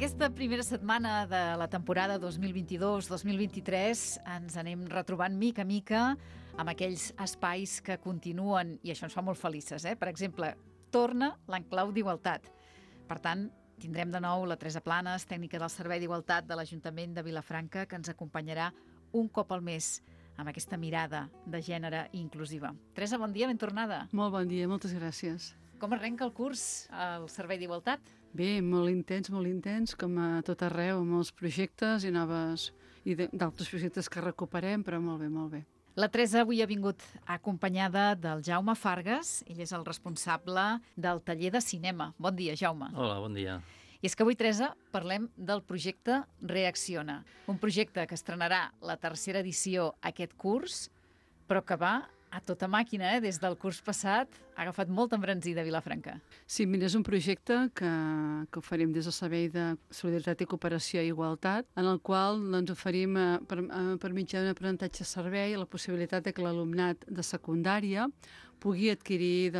Aquesta primera setmana de la temporada 2022-2023 ens anem retrobant mica a mica amb aquells espais que continuen, i això ens fa molt felices. Per exemple, torna l'enclau d'Igualtat. Per tant, tindrem de nou la Teresa Planes, tècnica del Servei d'Igualtat de l'Ajuntament de Vilafranca, que ens acompanyarà un cop al mes amb aquesta mirada de gènere inclusiva. Teresa, bon dia, ben tornada. Molt bon dia, moltes gràcies. Com arrenca el curs al Servei d'Igualtat? Bé, molt intens, com a tot arreu, amb molts projectes i d'altres projectes que recuperem, però molt bé, molt bé. La Teresa avui ha vingut acompanyada del Jaume Fargas, ell és el responsable del taller de cinema. Bon dia, Jaume. Hola, bon dia. I és que avui, Teresa, parlem del projecte Reacciona, un projecte que estrenarà la tercera edició aquest curs, però que va a tota màquina, des del curs passat, ha agafat molta embranzida a Vilafranca. Sí, mira, és un projecte que oferim des del Servei de Solidaritat i Cooperació i Igualtat, en el qual oferim per mitjà d'un aprenentatge servei la possibilitat de que l'alumnat de secundària pugui adquirir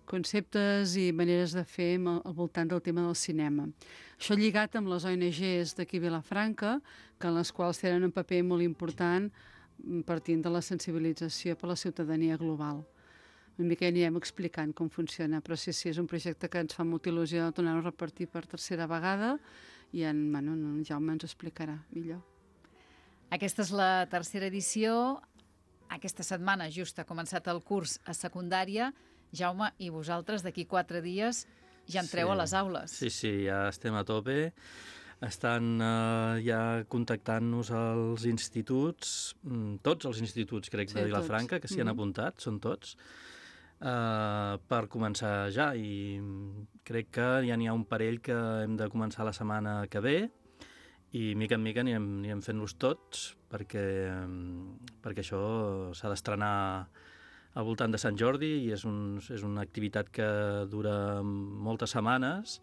conceptes i maneres de fer al voltant del tema del cinema. Això lligat amb les ONGs d'aquí a Vilafranca, que en les quals tenen un paper molt important partint de la sensibilització per a la ciutadania global. Una mica anirem explicant com funciona, però sí, és un projecte que ens fa molta il·lusió tornar-ho a repartir per tercera vegada i en Jaume ens ho explicarà millor. Aquesta és la tercera edició. Aquesta setmana just ha començat el curs a secundària. Jaume, i vosaltres d'aquí 4 dies ja entreu a les aules. Sí, ja estem a tope. Estan ja contactant-nos als instituts, tots els instituts, crec, de Vilafranca, que s'hi han apuntat, són tots, per començar ja. I crec que ja n'hi ha un parell que hem de començar la setmana que ve, i mica en mica anirem fent-los tots, perquè això s'ha d'estrenar al voltant de Sant Jordi i és una activitat que dura moltes setmanes,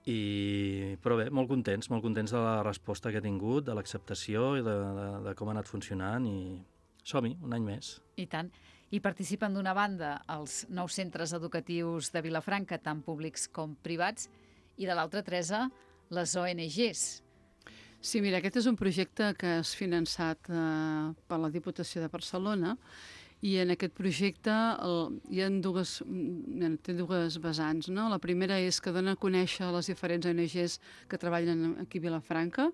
però bé, molt contents de la resposta que ha tingut, de l'acceptació i de com ha anat funcionant, i som-hi, un any més. I tant. I participen d'una banda els 9 centres educatius de Vilafranca, tant públics com privats, i de l'altra, Teresa, les ONGs. Sí, mira, aquest és un projecte que és finançat per la Diputació de Barcelona, i en aquest projecte té dues vessants, no? La primera és que dona a conèixer les diferents ONGs que treballen aquí a Vilafranca,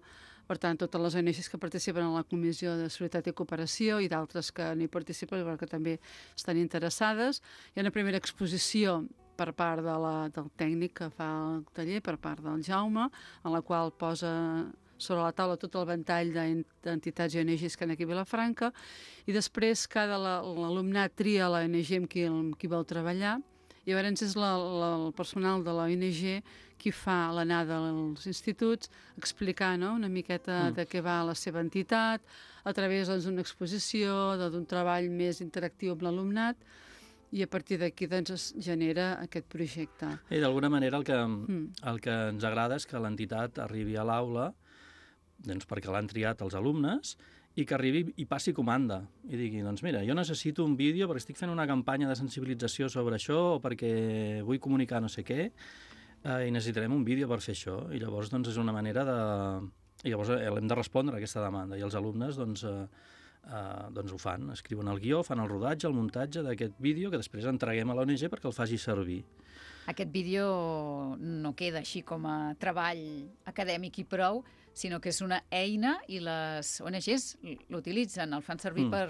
per tant, totes les ONGs que participen en la Comissió de Solidaritat i Cooperació i d'altres que no hi participen però que també estan interessades. Hi ha una primera exposició per part del tècnic que fa el taller, per part del Jaume, en la qual posa sobre la taula tot el ventall d'entitats i ONGs que hi ha aquí a Vilafranca, i després l'alumnat tria l'ONG amb qui vol treballar, i llavors és el personal de l'ONG qui fa l'anada als instituts, explicar una miqueta de què va la seva entitat, a través d'una exposició, d'un treball més interactiu amb l'alumnat, i a partir d'aquí es genera aquest projecte. I d'alguna manera el que ens agrada és que l'entitat arribi a l'aula, doncs perquè l'han triat els alumnes, i que arribi i passi comanda i digui, doncs mira, jo necessito un vídeo perquè estic fent una campanya de sensibilització sobre això o perquè vull comunicar no sé què, i necessitarem un vídeo per fer això, i llavors doncs és una manera i llavors hem de respondre a aquesta demanda, i els alumnes doncs ho fan, escriuen el guió, fan el rodatge, el muntatge d'aquest vídeo que després entreguem a l'ONG perquè el faci servir. Aquest vídeo no queda així com a treball acadèmic i prou, sinó que és una eina i les ONGs l'utilitzen, el fan servir per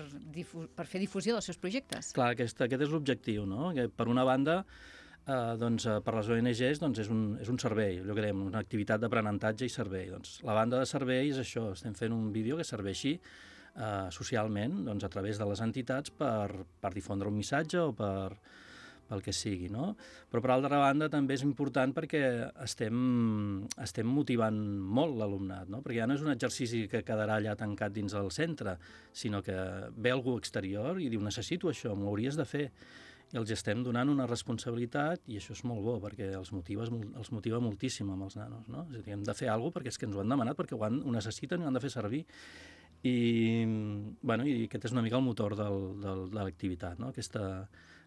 fer difusió dels seus projectes. Clar, aquest és l'objectiu, no? Que per una banda, per les ONGs és un servei, allò que dèiem, una activitat d'aprenentatge i servei. La banda de servei és això, estem fent un vídeo que serveixi socialment a través de les entitats per difondre un missatge o pel que sigui, no? Però per altra banda també és important perquè estem motivant molt l'alumnat, no? Perquè ja no és un exercici que quedarà allà tancat dins del centre, sinó que ve algú exterior i diu necessito això, m'ho hauries de fer. I els estem donant una responsabilitat i això és molt bo perquè els motiva moltíssim amb els nanos, no? És a dir, hem de fer alguna cosa perquè és que ens ho han demanat, perquè ho necessiten i ho han de fer servir. I aquest és una mica el motor de l'activitat, no?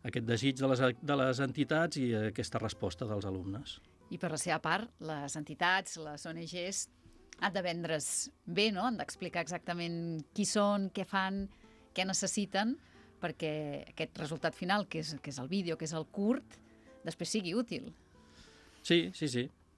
Aquest desig de les entitats i aquesta resposta dels alumnes. I per la seva part, les entitats, les ONGs, han de vendre's bé, no? Han d'explicar exactament qui són, què fan, què necessiten, perquè aquest resultat final, que és el vídeo, que és el curt, després sigui útil. Sí.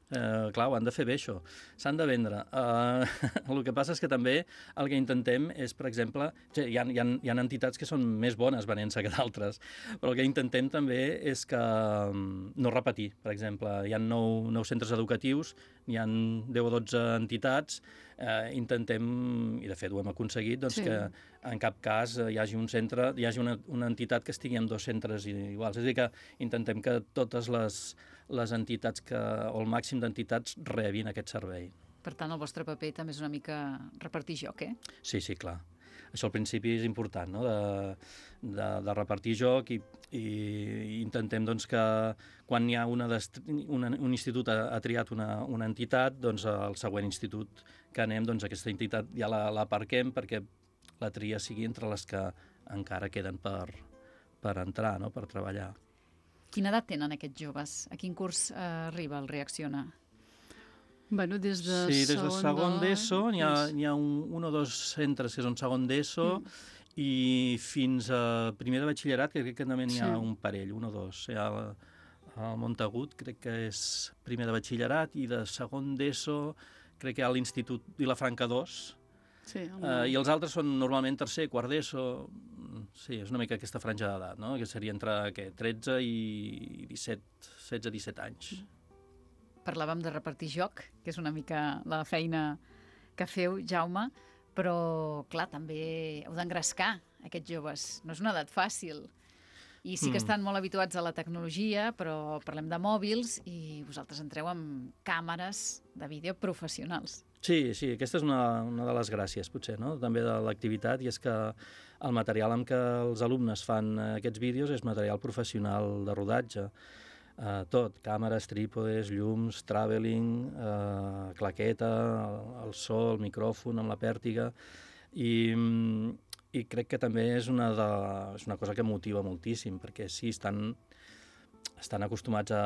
Clar, ho han de fer bé, això. S'han de vendre. El que passa és que també el que intentem és, per exemple, hi ha entitats que són més bones venent-se que d'altres, però el que intentem també és que no repetir. Per exemple, hi ha 9 centres educatius, hi ha 10 o 12 entitats, intentem, i de fet ho hem aconseguit, doncs que en cap cas hi hagi un centre, hi hagi una entitat que estigui en 2 centres iguals. És a dir, que intentem que totes les entitats o el màxim d'entitats rebin aquest servei. Per tant, el vostre paper també és una mica repartir joc, eh? Sí, clar. Això al principi és important, no? de repartir joc i intentem doncs, que quan hi ha un institut ha triat una entitat, doncs el següent institut que anem, doncs aquesta entitat ja l'aparquem perquè la tria sigui entre les que encara queden per entrar, no? Per treballar. Quina edat tenen aquests joves? A quin curs arriba el Reacciona? Bueno, des de segon d'ESO, hi ha un o 2 centres que són segon d'ESO i fins a primer de batxillerat, que crec que també n'hi ha un parell, un o 2. Hi ha el Montagut, crec que és primer de batxillerat, i de segon d'ESO crec que hi ha l'Institut Vilafranca 2, i els altres són normalment tercer, quart d'ESO. Sí, és una mica aquesta franja d'edat, no? Que seria entre 13 i 16-17 anys. Parlàvem de repartir joc, que és una mica la feina que feu, Jaume, però, clar, també heu d'engrescar aquests joves. No és una edat fàcil. I sí que estan molt habituats a la tecnologia, però parlem de mòbils i vosaltres entreu amb càmeres de vídeo professionals. Sí, aquesta és una de les gràcies, potser, no? També de l'activitat, i és que el material amb què els alumnes fan aquests vídeos és material professional de rodatge. Tot, càmeres, trípodes, llums, travelling, claqueta, el so, el micròfon amb la pèrtiga, i crec que també és una cosa que motiva moltíssim, perquè sí, estan acostumats a...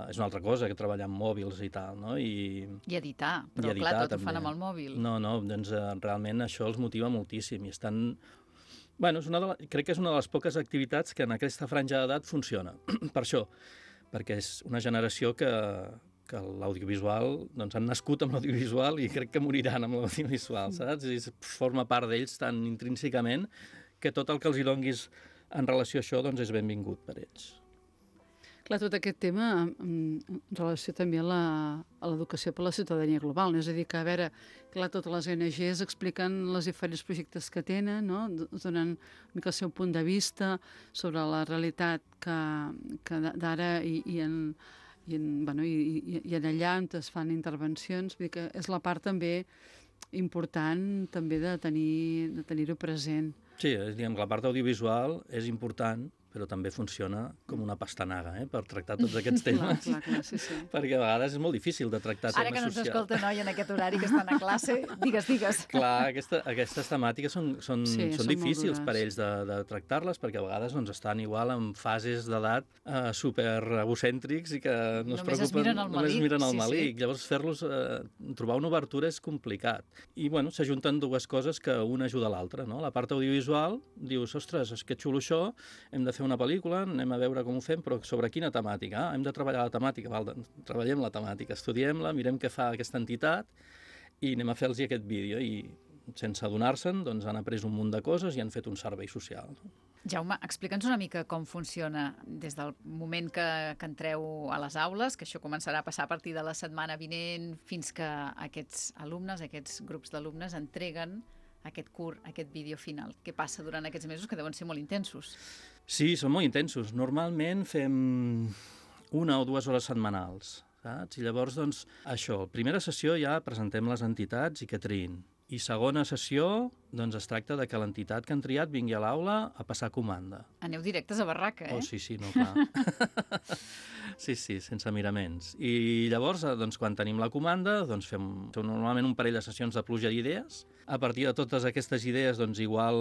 És una altra cosa que treballar amb mòbils i tal, no? I editar, però clar, tot ho fan amb el mòbil. No, doncs realment això els motiva moltíssim i estan... Bueno, crec que és una de les poques activitats que en aquesta franja d'edat funciona. Per això, perquè és una generació que l'audiovisual, doncs han nascut amb l'audiovisual i crec que moriran amb l'audiovisual, saps? I forma part d'ells tan intrínsecament que tot el que els hi donguis en relació a això doncs és benvingut per ells. Clar, tot aquest tema en relació també a l'educació per la ciutadania global, no? És a dir, que, a veure, clar, totes les ONGs expliquen els diferents projectes que tenen, no? Donen una mica el seu punt de vista sobre la realitat que d'ara i allà on es fan intervencions, vull dir que és la part també important també de tenir-ho present. Sí, diguem que la part audiovisual és important, però també funciona com una pastanaga, per tractar tots aquests temes. Clar, sí. Perquè a vegades és molt difícil de tractar temes socials. Ara que no ens escolta noi en aquest horari que estan a classe, digues. Clar, aquestes temàtiques són difícils per ells de tractar-les, perquè a vegades estan igual en fases d'edat super egocèntrics i que no es preocupen, només miren el malic. Llavors fer-los, trobar una obertura és complicat. I bueno, s'ajunten dues coses que una ajuda a l'altra, no? La part audiovisual, dius, ostres, és que xulo això, hem de fer una pel·lícula, anem a veure com ho fem, però sobre quina temàtica? Hem de treballar la temàtica, treballem la temàtica, estudiem-la, mirem què fa aquesta entitat i anem a fer-los aquest vídeo. I sense adonar-se'n, doncs han après un munt de coses i han fet un servei social. Jaume, explica'ns una mica com funciona des del moment que entreu a les aules, que això començarà a passar a partir de la setmana vinent, fins que aquests alumnes, aquests grups d'alumnes entreguen aquest curt, aquest vídeo final. Què passa durant aquests mesos que deuen ser molt intensos? Sí, són molt intensos. Normalment fem 1 o 2 hores setmanals, saps? I llavors, doncs, això, primera sessió ja presentem les entitats i que triïn. I segona sessió, doncs es tracta de que l'entitat que han triat vingui a l'aula a passar comanda. Aneu directes a barraca, eh? Oh, sí, no, clar. Sí, sense miraments. I llavors, doncs, quan tenim la comanda, doncs fem normalment un parell de sessions de pluja d'idees, A partir de totes aquestes idees, doncs igual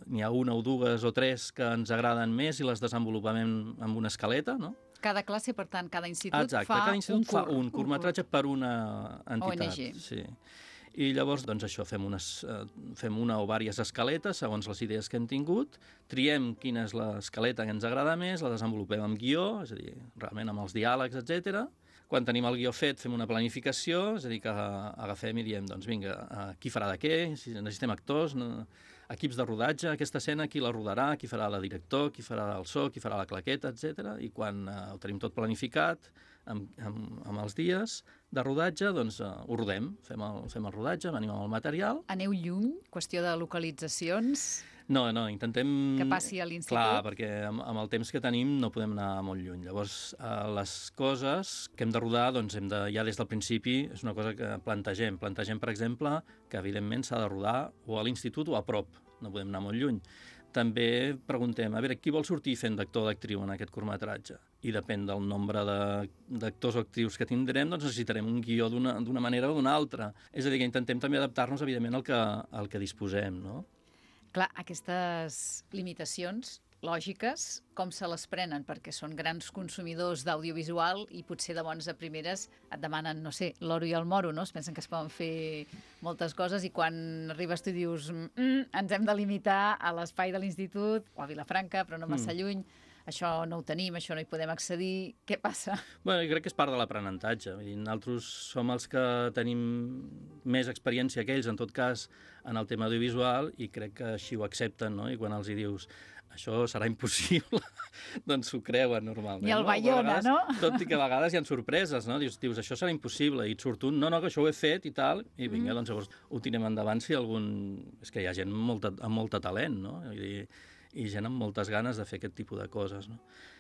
n'hi ha una o dues o tres que ens agraden més i les desenvolupem amb una escaleta, no? Cada classe, per tant, cada institut Exacte, fa cada institut fa un curt. curtmetratge per una entitat. ONG. Sí. I llavors, doncs això, fem una o diverses escaletes segons les idees que hem tingut, triem quina és l'escaleta que ens agrada més, la desenvolupem amb guió, és a dir, realment amb els diàlegs, etc. Quan tenim el guió fet, fem una planificació, és a dir, que agafem i diem, doncs vinga, qui farà de què, si necessitem actors, equips de rodatge, aquesta escena, qui la rodarà, qui farà la director, qui farà el so, qui farà la claqueta, etc. I quan ho tenim tot planificat, amb els dies de rodatge, doncs ho rodem, fem el rodatge, venim amb el material. Aneu lluny? Qüestió de localitzacions? No, intentem... Que passi a l'institut? Clar, perquè amb el temps que tenim no podem anar molt lluny. Llavors, les coses que hem de rodar, doncs ja des del principi, és una cosa que plantegem. Plantegem, per exemple, que evidentment s'ha de rodar o a l'institut o a prop, no podem anar molt lluny. També preguntem, a veure, qui vol sortir fent d'actor o d'actriu en aquest curtmetratge? I depèn del nombre d'actors o actrius que tindrem, doncs necessitarem un guió d'una manera o d'una altra. És a dir, que intentem també adaptar-nos, evidentment, al que disposem, no? Clar, aquestes limitacions lògiques, com se les prenen? Perquè són grans consumidors d'audiovisual i potser de bones a primeres et demanen, no sé, l'oro i el moro, no? Es pensen que es poden fer moltes coses i quan arribes tu dius ens hem de limitar a l'espai de l'institut o a Vilafranca, però no massa lluny, això no ho tenim, això no hi podem accedir, què passa? Bé, jo crec que és part de l'aprenentatge. Nosaltres som els que tenim més experiència que ells, en tot cas, en el tema audiovisual, i crec que així ho accepten, no? I quan els hi dius això serà impossible, doncs s'ho creuen normalment. Ni el Bayona, no? Tot i que a vegades hi ha sorpreses, no? Dius, això serà impossible, i et surt un, no, que això ho he fet i tal, i vinga, doncs llavors ho tirem endavant si algun... És que hi ha gent amb molt talent, no? I gent amb moltes ganes de fer aquest tipus de coses, no?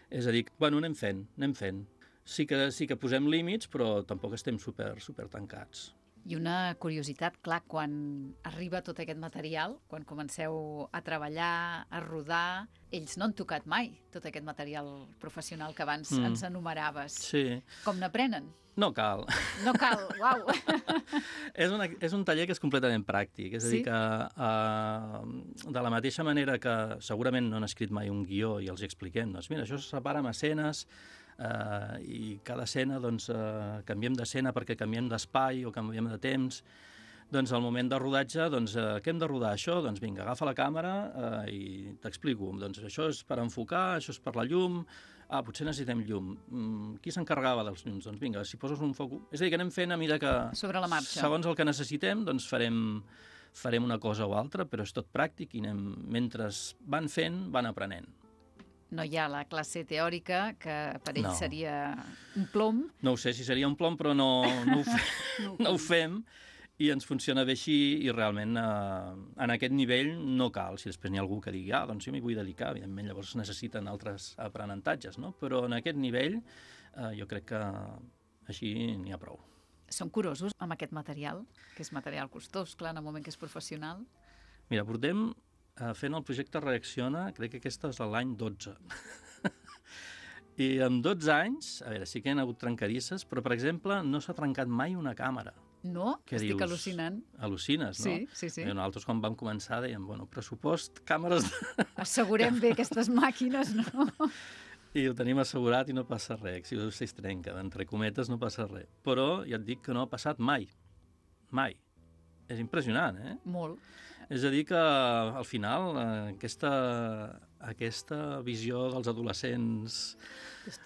És a dir, bueno, anem fent. Sí que posem límits, però tampoc estem super tancats. I una curiositat, clar, quan arriba tot aquest material, quan comenceu a treballar, a rodar, ells no han tocat mai tot aquest material professional que abans ens enumeraves. Sí. Com n'aprenen? No cal. No cal, uau! És un taller que és completament pràctic, és a dir, que de la mateixa manera que segurament no han escrit mai un guió i els expliquem, doncs mira, això se separa en escenes, i cada escena doncs, canviem d'escena perquè canviem d'espai o canviem de temps, doncs al moment de rodatge, doncs, què hem de rodar? Això? Doncs vinga, agafa la càmera i t'explico. Doncs això és per enfocar, això és per la llum, potser necessitem llum. Qui s'encarregava dels llums? Doncs vinga, si poses un foc... És a dir, que anem fent a mesura que... Sobre la marxa. Segons el que necessitem, doncs farem una cosa o altra, però és tot pràctic i mentre van fent, van aprenent. No hi ha la classe teòrica, que per ells seria un plom. No ho sé si seria un plom, però no ho fem i ens funciona bé així i realment en aquest nivell no cal. Si després n'hi ha algú que digui, doncs jo m'hi vull dedicar, evidentment llavors necessiten altres aprenentatges, no? Però en aquest nivell jo crec que així n'hi ha prou. Són curosos amb aquest material, que és material costós, clar, en el moment que és professional? Mira, portem fent el projecte Reacciona, crec que aquesta és l'any 12. I en 12 anys, a veure, sí que hi ha hagut trencadisses, però, per exemple, no s'ha trencat mai una càmera. No? Estic al·lucinant. Al·lucines, no? Sí. Nosaltres, quan vam començar, dèiem, pressupost, càmeres... Assegurem bé aquestes màquines, no? I ho tenim assegurat i no passa res. Si es trenca, entre cometes, no passa res. Però ja et dic que no ha passat mai. Mai. És impressionant, eh? Molt. És a dir que, al final, aquesta visió dels adolescents...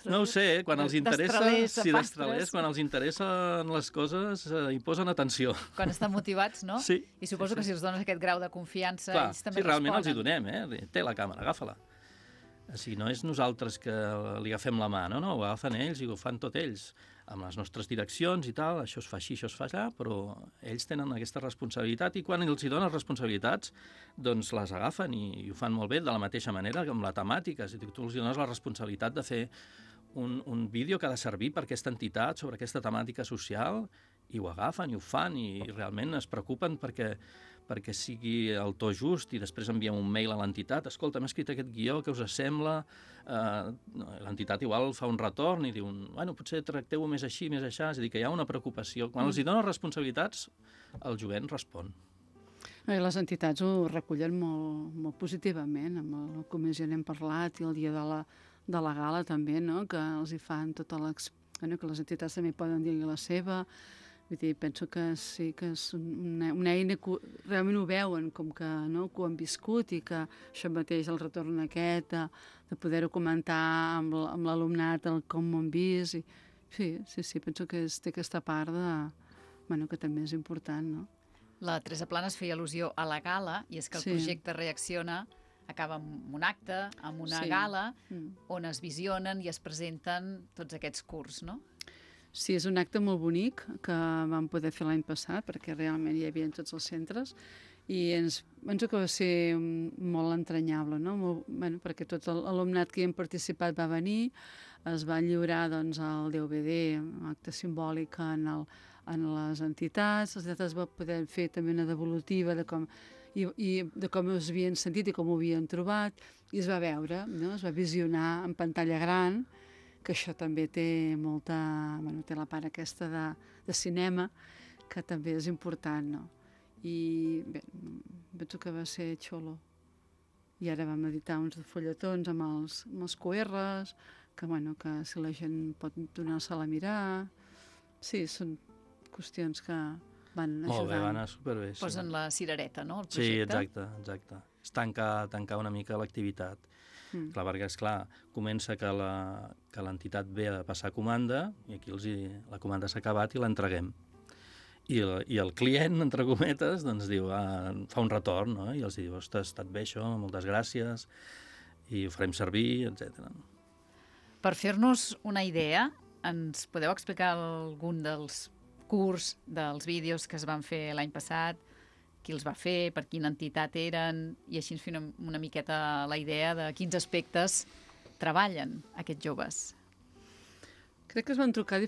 No ho sé, quan els interessa... Destralers, quan els interessen les coses, hi posen atenció. Quan estan motivats, no? Sí. I suposo que si els dones aquest grau de confiança, ells també responen. Sí, realment els hi donem, Té la càmera, agafa-la. O sigui, no és nosaltres que li agafem la mà, no, ho agafen ells i ho fan tot ells, amb les nostres direccions i tal, això es fa així, això es fa allà, però ells tenen aquesta responsabilitat i quan els hi donen responsabilitats, doncs les agafen i ho fan molt bé, de la mateixa manera que amb la temàtica. És a dir, tu els dones la responsabilitat de fer un vídeo que ha de servir per aquesta entitat, sobre aquesta temàtica social, i ho agafen i ho fan i realment es preocupen perquè sigui el to just i després enviem un mail a l'entitat, escolta, m'he escrit aquest guió, què us sembla? L'entitat igual fa un retorn i diu, potser tracteu-ho més així, més aixà, és a dir, que hi ha una preocupació. Quan els hi donen responsabilitats, el jovent respon. Les entitats ho recullen molt positivament. Amb la comissió n'hem parlat i el dia de la gala també, no? Que els hi fan que les entitats també poden dir la seva. Vull dir, penso que sí que és una eina que realment ho veuen, com que, no? Que ho han viscut i que això mateix, el retorn aquest, de poder-ho comentar amb l'alumnat, com ho han vist. Sí, penso que té aquesta part que també és important, no? La Teresa Planes feia al·lusió a la gala, i és que el projecte Reacciona acaba amb un acte, amb una gala, on es visionen i es presenten tots aquests curts, no? Sí, és un acte molt bonic que vam poder fer l'any passat, perquè realment hi havia en tots els centres, i penso que va ser molt entranyable, no? Perquè tot l'alumnat que hi hem participat va venir, es va lliurar doncs, el DVD, un acte simbòlic en les entitats es va poder fer també una devolutiva de com es havien sentit i com ho havien trobat, i es va veure, no? Es va visionar en pantalla gran, que això també té molta... té la part aquesta de cinema, que també és important, no? I bé, penso que va ser xulo. I ara vam editar uns fulletons amb els QRs, que si la gent pot donar-se-la a mirar... Sí, són qüestions que van ajudant. Molt bé, va anar superbé. Posen la cirereta, no?, el projecte. Sí, exacte. És tancar una mica l'activitat. Clar, perquè, esclar, comença que l'entitat ve a passar comanda i aquí la comanda s'ha acabat i l'entreguem. I el client, entre cometes, doncs diu, fa un retorn, no? I els diu, ostres, ha estat bé això, moltes gràcies, i ho farem servir, etc. Per fer-nos una idea, ens podeu explicar algun dels curts, dels vídeos que es van fer l'any passat, qui els va fer, per quina entitat eren, i així ens fem una miqueta la idea de quins aspectes treballen aquests joves. Crec que es van trucar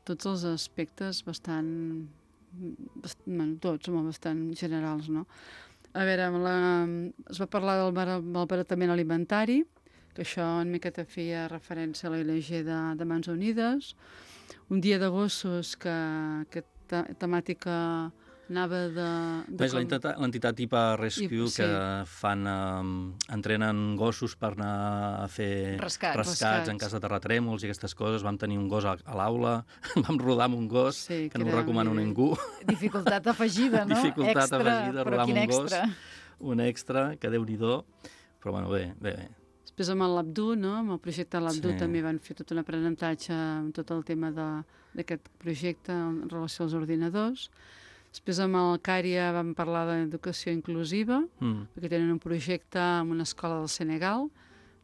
tots els aspectes bastant generals, no? A veure, es va parlar del malbaratament alimentari, que això en miqueta feia referència a l'ONG de Mans Unides, un dia de gossos que temàtica anava l'entitat IPA Rescue, que entrenen gossos per anar a fer rescats en cas de terratrèmols i aquestes coses. Vam tenir un gos a l'aula, vam rodar amb un gos, que no ho recomano a ningú. Dificultat afegida, no? Dificultat afegida, rodar amb un gos. Un extra, que Déu-n'hi-do. Però bueno, bé. Després amb l'Abdu, no? Amb el projecte l'Abdu també van fer tot un aprenentatge amb tot el tema d'aquest projecte en relació als ordinadors. Després amb el Cària vam parlar d'educació inclusiva, perquè tenen un projecte en una escola del Senegal,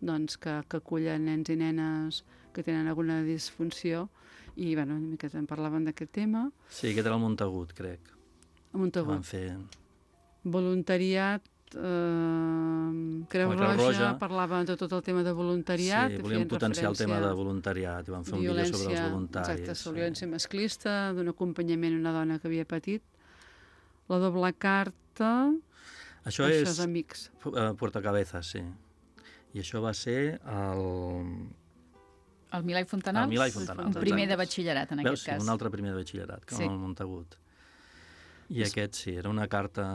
doncs, que acullen nens i nenes que tenen alguna disfunció, i una miqueta en parlaven d'aquest tema. Sí, aquest era el Montagut, crec. El Montagut. Van fer... Voluntariat, Creu Roja parlava de tot el tema de voluntariat. Sí, volíem potenciar el tema de voluntariat i van fer un vídeo sobre els voluntaris. Exacte, sobre violència masclista, d'un acompanyament a una dona que havia patit. La doble carta... Això és amics. Puertocabezas, sí. I això va ser el Milà i Fontanals? El Milà i Fontanals. Un primer de batxillerat, en aquest cas. Un altre primer de batxillerat, com el Montagut. I aquest, sí, era una carta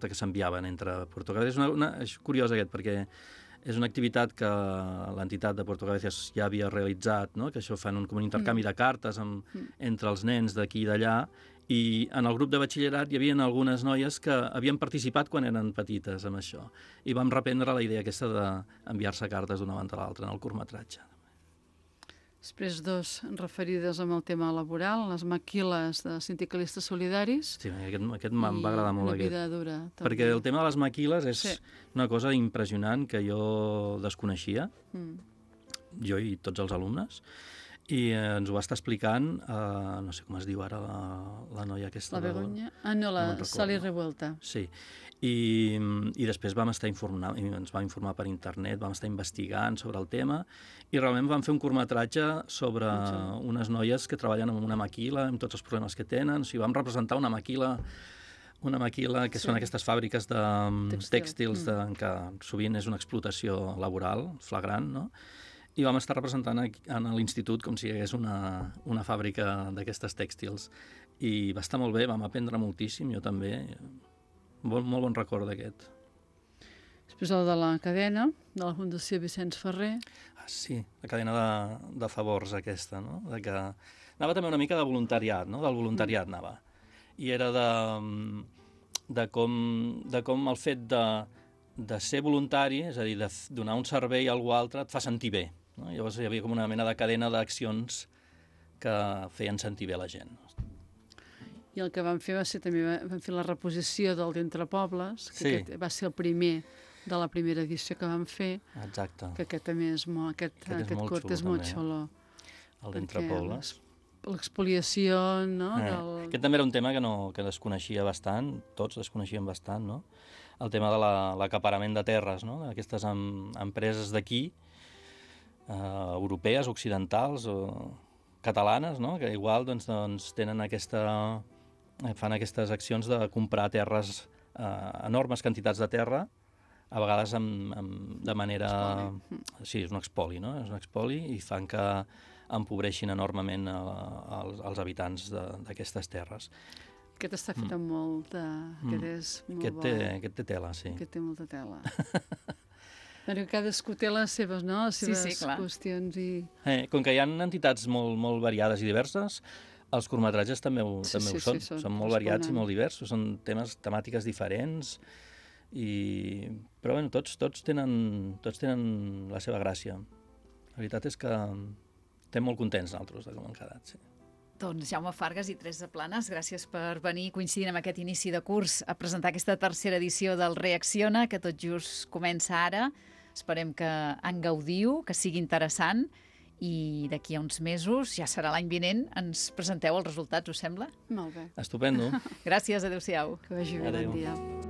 que s'enviaven entre Puertocabezas. És curiós aquest, perquè és una activitat que l'entitat de Puertocabezas ja havia realitzat, no? Que això fan com un intercanvi de cartes entre els nens d'aquí i d'allà, i en el grup de batxillerat hi havia algunes noies que havien participat quan eren petites amb això, i vam reprendre la idea aquesta d'enviar-se cartes d'una banda a l'altra en el curtmetratge. Després dos referides amb el tema laboral, les maquiles de sindicalistes solidaris. Sí, aquest em va agradar molt. I una vida dura. També. Perquè el tema de les maquiles és una cosa impressionant que jo desconeixia, jo i tots els alumnes, i ens ho va estar explicant, no sé com es diu ara, la noia aquesta. La Begoña? La Sally Revuelta. Sí, i després ens vam informar per internet, vam estar investigant sobre el tema, i realment vam fer un curtmetratge sobre unes noies que treballen amb una maquila, amb tots els problemes que tenen. O sigui, vam representar una maquila que són aquestes fàbriques de tèxtils, que sovint és una explotació laboral flagrant, no? i vam estar representant a l'institut com si hi hagués una fàbrica d'aquestes tèxtils. I va estar molt bé, vam aprendre moltíssim, jo també. Molt bon record d'aquest. Després el de la cadena, de la Fundació Vicenç Ferrer. Sí, la cadena de favors aquesta, no? De que anava també una mica de voluntariat, no? Del voluntariat anava. I era de com el fet de ser voluntari, és a dir, de donar un servei a algú altre, et fa sentir bé. No? Llavors hi havia com una mena de cadena d'accions que feien sentir bé la gent. I el que vam fer va ser també, vam fer la reposició del d'Entre Pobles, que Sí. aquest va ser el primer de la primera edició que vam fer, Exacte, que aquest també és molt, aquest molt curt xulo, és molt també. xulo. el d'Entre Perquè Pobles. L'expoliació, no? Aquest també era un tema que desconeixia bastant, tots desconeixien bastant, no? El tema de l'acaparament de terres, no? D'aquestes empreses d'aquí, europees, occidentals o catalanes, no? Que igual doncs, tenen fan aquestes accions de comprar terres, enormes quantitats de terra, a vegades de manera... Sí, és un expoli, no? És un expoli i fan que empobreixin enormement els habitants d'aquestes terres. Aquest està fet amb molt de... Aquest és molt bo. Aquest té tela, sí. Aquest té molta tela. Perquè cadascú té les seves, no? Les seves clar. qüestions i... Com que hi ha entitats molt variades i diverses, els curtmetratges també ho són. Són molt variats i molt diversos, són temàtiques diferents, però bueno, tots tenen la seva gràcia. La veritat és que estem molt contents nosaltres de com han quedat, sí. Doncs Jaume Fargas i Teresa Planes, gràcies per venir coincidint amb aquest inici de curs a presentar aquesta tercera edició del Reacciona, que tot just comença ara. Esperem que en gaudiu, que sigui interessant, i d'aquí a uns mesos, ja serà l'any vinent, ens presenteu els resultats, us sembla? Molt bé. Estupendo. Gràcies, adéu-siau. Que vagi bé, Adéu. bon dia.